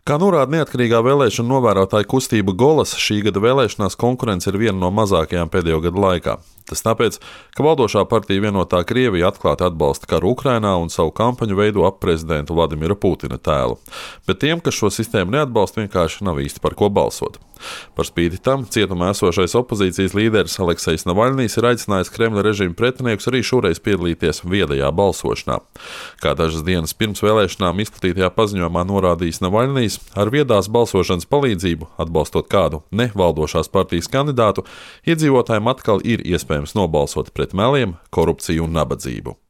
Kā norāda neatkarīgā vēlēšana novērotāja kustība Golas, šī gada vēlēšanās konkurence ir viena no mazākajām pēdējo gadu laikā. Tas tāpēc, ka valdošā partija Vienotā Krievija atklāti atbalsta karu Ukrainā un savu kampaņu veido ap prezidenta Vladimira Putina tēlu. Bet tiem, kas šo sistēmu neatbalsta, vienkārši nav īsti par ko balsot. Par spīti tam cietumā esošais opozīcijas līderis Aleksejs Navaļnijs ir aicinājis Kremļa režīma pretiniekus arī šoreiz piedalīties viedajā balsošanā. Kā dažas dienas pirms vēlēšanām izplatītajā paziņojumā norādījis Navaļnijs, ar viedās balsošanas palīdzību, atbalstot kādu nevaldošās partijas kandidātu, iedzīvotājiem atkal ir iespējams nobalsot pret meliem, korupciju un nabadzību.